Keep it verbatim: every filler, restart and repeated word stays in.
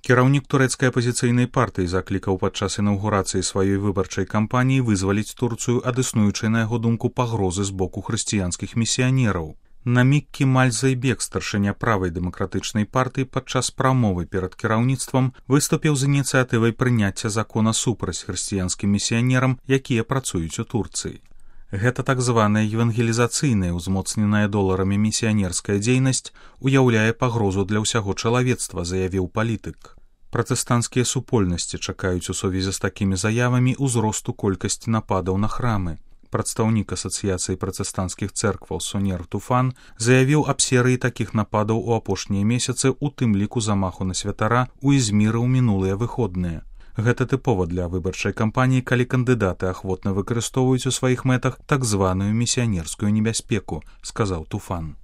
Кіраўнік турэцкай апазіцыйнай партыі заклікаў падчас інаўгурацыі сваёй выбарчай кампаніі вызваліць Турцыю ад існуючай, на яго думку, пагрозы з боку хрысціянскіх місіянераў. Намік Кемаль Зайбек, старшыня правай дэмакратычнай партыі, падчас прамовы перад кіраўніцтвам выступіў з ініцыятывай прыняцця закона супраць хрысціянскім місіянерам, якія працуюць у Турцыі. Гэта так званая евангелізацыйная, узмоцненая доларамі місіянерская дзейнасць уяўляе пагрозу для ўсяго чалавецтва, заявіў палітык. Пратэстанцкія супольнасці чакаюць у сувязі з такімі заявамі ўзросту колькасці нападаў на храмы. Прадстаўнік асацыяцыі пратэстанцкіх цэркваў Сонер Туфан заявіў аб серыі такіх нападаў у апошнія месяцы, у тым ліку замаху на святара у Ізміры ў минулыя выходныя. Гэта тыпова для выбарчай кампаніі, калі кандыдаты ахвотна выкарыстоўваюць у сваіх мэтах так званую місіянерскую небяспеку, сказаў Туфан.